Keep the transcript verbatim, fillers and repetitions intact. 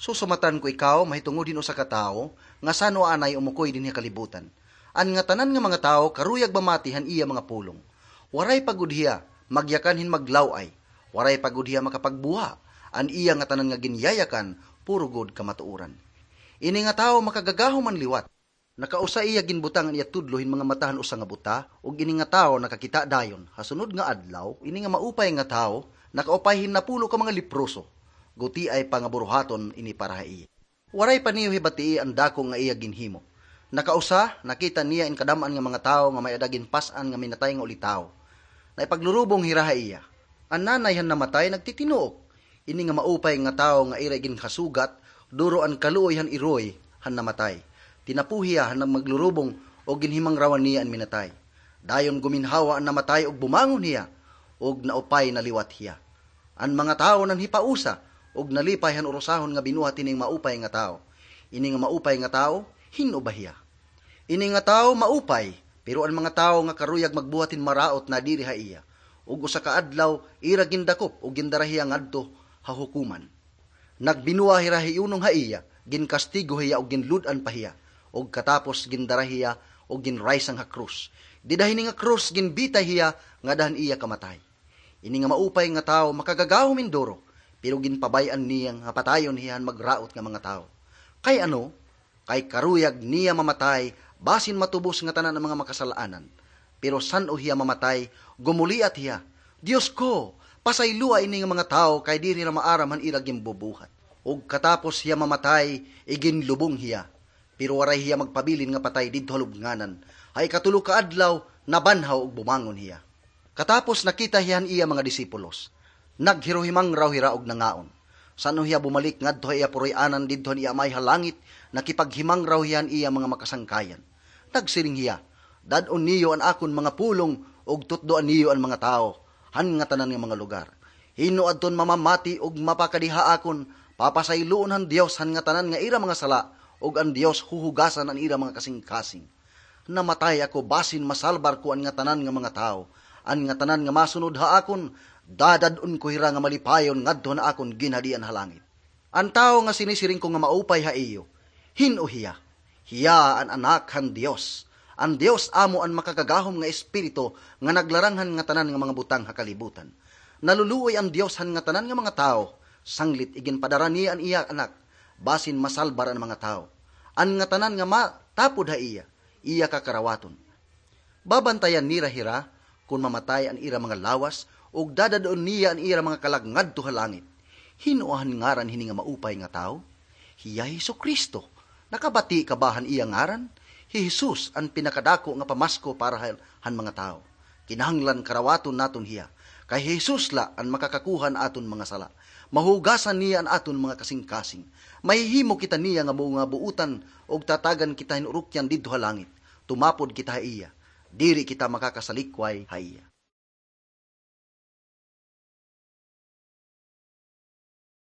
Susumatan ko ikaw mahitungod hin usa ka tawo nga san-o anay umukoy dinhi ha kalibutan. An ngatanan nga mga tawo karuyag mamati han iya mga pulong. Waray pa gud hiya magyakan hin maglaw-ay. Waray pa gud hiya makapagbuha. An iya ngatanan nga ginyayakan, puro gud kamatuoran. Ini nga tawo makagagahom an liwat. Nakausa iya ginbutang an iya tudlo hin mga mata han usa nga buta, ug ini nga tawo nakakita dayon. Ha sunod nga adlaw, ini nga maupay nga tawo nakaupay hin napulo ka mga leproso. Gutiay pa nga buruhaton ini para ha iya. Waray pa niyo hibatii an dako nga iya ginhimo. Nakausa, nakita niya in kadam-an nga mga tawo nga may-ada ginpas-an nga minatay nga ulitawo. Naipaglurubong hira ha iya. An nanay han namatay nagtitinuok. Ini nga maupay nga tawo nga ira ginhasugat, duro an kaluoy han iroy han namatay. Tinapo hiya han maglurubong ug ginhimangrawan niya an minatay. Dayon guminhawa an namatay ug bumangon hiya, ug naupay na liwat hiya. An mga tawo nanhipausa ug nalipay han urusahon nga binuhat hining maupay nga tawo. Ini nga maupay nga tawo, hin-o ba hiya? Ini nga tawo maupay, pero an mga tawo nga karuyag magbuhat hin maraot nadiri ha iya, ug usa ka adlaw ira gindakop ug gindara hiya ngadto ha hukoman. Nagbinuwa hira hiunong ha iya, ginkastigo hiya ug ginlud-an pa hiya, ug katapos gindara hiya ug ginraysang ha krus. Dida hini nga krus ginbitay hiya ngada han iya kamatay. Ini nga maupay nga tawo makagagahom hin duro, pero ginpabay-an niya nga patayon hiya han magraot nga mga tawo. Kay ano? Kay karuyag niya mamatay basin matubos ngatanan an mga makasal-anan. Pero san-o hiya mamatay, gumuliat hiya, "Dios ko, pasayloa ini nga mga tawo kay diri hira maaram han ira ginbubuhat." Ug katapos hiya mamatay, iginlubong hiya. Pero waray hiya magpabilin nga patay didto ha lubnganan. Ha ikatulo ka adlaw, nabanhaw ug bumangon hiya. Katapos nakita hiya han iya mga disipulos. Naghiruhimangraw hira ug nangaon. San-o hiya bumalik ngadto ha iya puroy-anan didto han iya Amay ha langit, nakipaghimangraw hiya han iya mga makasangkayan. Nagsiring hiya, "Dad-on niyo an akon mga pulong ug tutdoan niyo an mga tawo han ngatanan nga mga lugar. Hin-o adton mamamati ug mapakadi ha akon, papasayloon han Dios han ngatanan nga ira mga sala, ug an Dios huhugasan an ira mga kasingkasing." Namatay ako basin masalbar ko an ngatanan nga mga tawo. An ngatanan nga masunod ha akon, dadad-on ko hira nga malipayon ngadto han akon ginhadian ha langit. An tawo nga sinisiring ko nga maupay ha iyo, hin-o hiya? Hiya an Anak han Dios. An Dios amo an makagagahom nga Espiritu nga naglarang han ngatanan nga mga butang ha kalibutan. Naluluoy an Dios han ngatanan nga mga tawo, sanglit iginpadara niya an iya Anak, basin masalbar an mga tawo. An ngatanan nga matapod ha iya, iya kakarawaton. Babantayan nira hira kon mamatay an ira mga lawas, ug dadad-on niya an ira mga kalag ngadto ha langit. Hin-o an ngaran hini nga maupay nga tawo? Hiya hi Jesu-Cristo. Nakabati ka ba han iya ngaran? Hi Jesus an pinakadako nga pamasko para ha-, han mga tawo. Kinahanglan karawaton naton hiya. Kay hi Jesus la an makakakuha han aton mga sala. Mahugasan niya an aton mga kasingkasing. Mahihimo kita niya nga mga buotan ug tatagan kita hin urukyan didto ha langit. Tumapod kita ha iya. Diri kita makakasalikway ha iya.